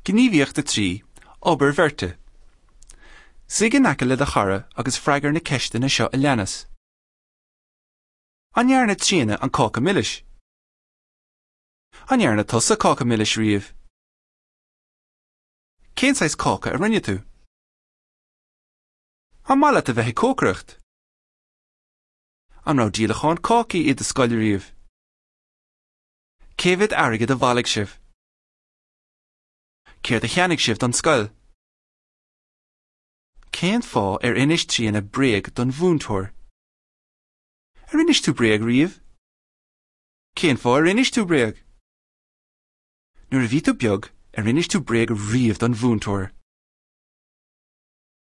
Gníomhaíocht 3, Obair Bheirte. Suigh in aice le do chara agus freagair na ceisteanna seo a leanas. An ndearna Tríona an cáca milis? An ndearna tusa cáca milis riamh? Cén saghas cáca a rinne tú? An maith leat a bheith ag cócaireacht? An raibh díolachán cácaí i do scoil riamh? Cé mhéad airgead a bhailigh sibh? Céard a cheannaigh sibh don scoil? Cén fáth ar inis Tríona bréag don mhúinteoir? Ar inis tú bréag riamh? Cén fáth ar inis tú bréag? Nuair a bhí tú beag, ar inis tú bréag riamh don mhúinteoir?